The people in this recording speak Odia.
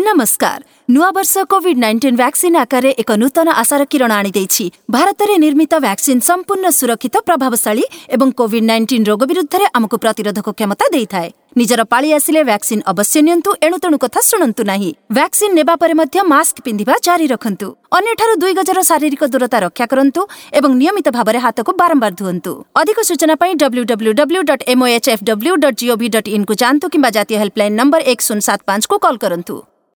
ନମସ୍କାର। ନୂଆବର୍ଷ କୋଭିଡ୍-19 ଭ୍ୟାକ୍ସିନ୍ ଆକାରରେ ଏକ ନୂତନ ଆଶାର କିରଣ ଆଣିଦେଇଛି। ଭାରତରେ ନିର୍ମିତ ଭ୍ୟାକ୍ସିନ୍ ସମ୍ପୂର୍ଣ୍ଣ ସୁରକ୍ଷିତ, ପ୍ରଭାବଶାଳୀ ଏବଂ କୋଭିଡ୍-19 ରୋଗ ବିରୁଦ୍ଧରେ ଆମକୁ ପ୍ରତିରୋଧକ କ୍ଷମତା ଦେଇଥାଏ। ନିଜର ପାଳି ଆସିଲେ ଭ୍ୟାକ୍ସିନ୍ ଅବଶ୍ୟ ନିଅନ୍ତୁ, ଏଣୁତେଣୁ କଥା ଶୁଣନ୍ତୁ ନାହିଁ। ଭ୍ୟାକ୍ସିନ୍ ନେବା ପରେ ମଧ୍ୟ ମାସ୍କ ପିନ୍ଧିବା ଜାରି ରଖନ୍ତୁ। ଅନ୍ୟଠାରୁ 2 ଗଜର ଶାରୀରିକ ଦୂରତା ରକ୍ଷା କରନ୍ତୁ ଏବଂ ନିୟମିତ ଭାବରେ ହାତକୁ ବାରମ୍ବାର ଧୁଅନ୍ତୁ। ଅଧିକ ସୂଚନା ପାଇଁ W W W dot M O H F W dot GOV dot ଇନ୍କୁ ଯାଆନ୍ତୁ କିମ୍ବା ଜାତୀୟ ହେଲ୍ପଲାଇନ୍ ନମ୍ବର 1075କୁ କଲ୍ କରନ୍ତୁ।